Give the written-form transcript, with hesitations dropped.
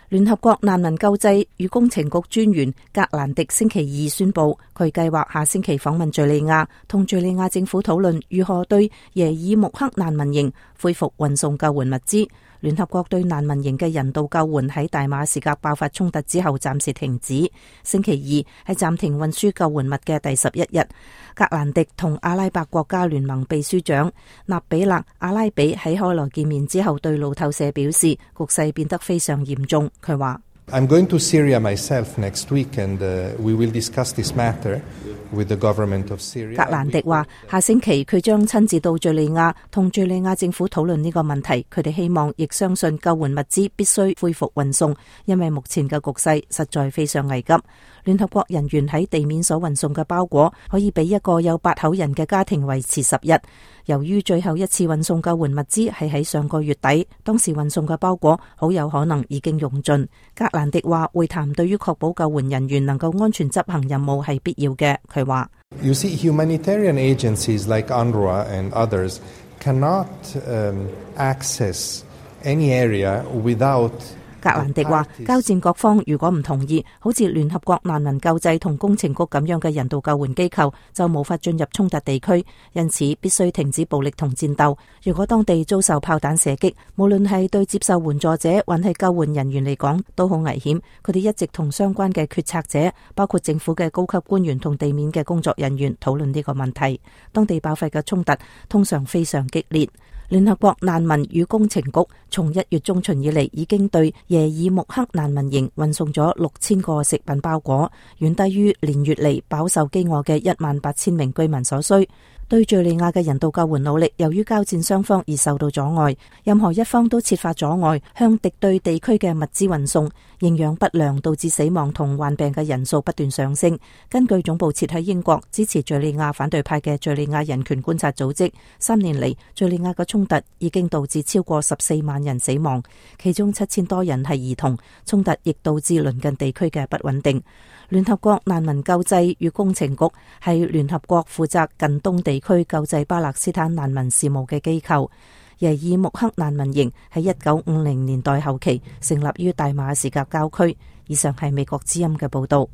聯合國難民救濟與工程局專員格蘭迪星期二宣布，佢計劃下星期訪問敘利亞，同敘利亞政府討論如何對耶爾穆克難民營恢復運送救援物資。聯合國對難民營嘅人道救援喺大馬士革爆發衝突之後暫時停止。星期二係暫停運輸救援物嘅第11日。格蘭迪同阿拉伯國家聯盟秘書長納比勒阿拉比喺開羅見面之後對路透社表示，局勢變得非常嚴重。佢話：I'm going to Syria myself next week, and we will discuss this matter with the government of Syria. 格蘭迪話：下星期佢將親自到敘利亞，同敘利亞政府討論呢個問題。佢哋希望亦相信救援物資必須恢復運送，因為目前嘅局勢實在非常危急。聯合國人員喺地面所運送嘅包裹可以俾一個有8口人嘅家庭維持10日。由於最後一次運送救援物資係喺上個月底，當時運送嘅包裹好有可能已經用盡。格蘭迪話：會談對於確保救援人員能夠安全執行任務係必要嘅。佢話：You see, humanitarian agencies like UNRWA and others cannot access any area without。格蘭迪話：交戰各方如果唔同意，好似聯合國難民救濟同工程局咁樣嘅人道救援機構，就無法進入衝突地區，因此必須停止暴力同戰鬥。如果當地遭受炮彈射擊，無論係對接受援助者還係救援人員嚟講，都好危險。佢哋一直同相關嘅決策者，包括政府嘅高級官員同地面嘅工作人員討論呢個問題。當地爆發嘅衝突通常非常激烈。聯合國難民與工程局從1月中旬以嚟已經對耶爾穆克難民營運送咗6000個食品包裹，遠低於連月嚟飽受飢餓嘅18000名居民所需。對敘利亞嘅人道救援努力，由於交戰雙方而受到阻礙，任何一方都設法阻礙向敵對地區嘅物資運送。營養不良導致死亡同患病嘅人數不斷上升。根據總部設喺英國、支持敘利亞反對派嘅敘利亞人權觀察組織，3年嚟敘利亞嘅衝突已經導致超過14萬人死亡，其中7000多人係兒童。衝突亦導致鄰近地區嘅不穩定。聯合國難民救濟與工程局係聯合國負責近東地區救濟巴勒斯坦難民事務嘅機構。耶爾穆克難民營喺1950年代後期成立於大馬士革郊區。以上係美國之音嘅報道。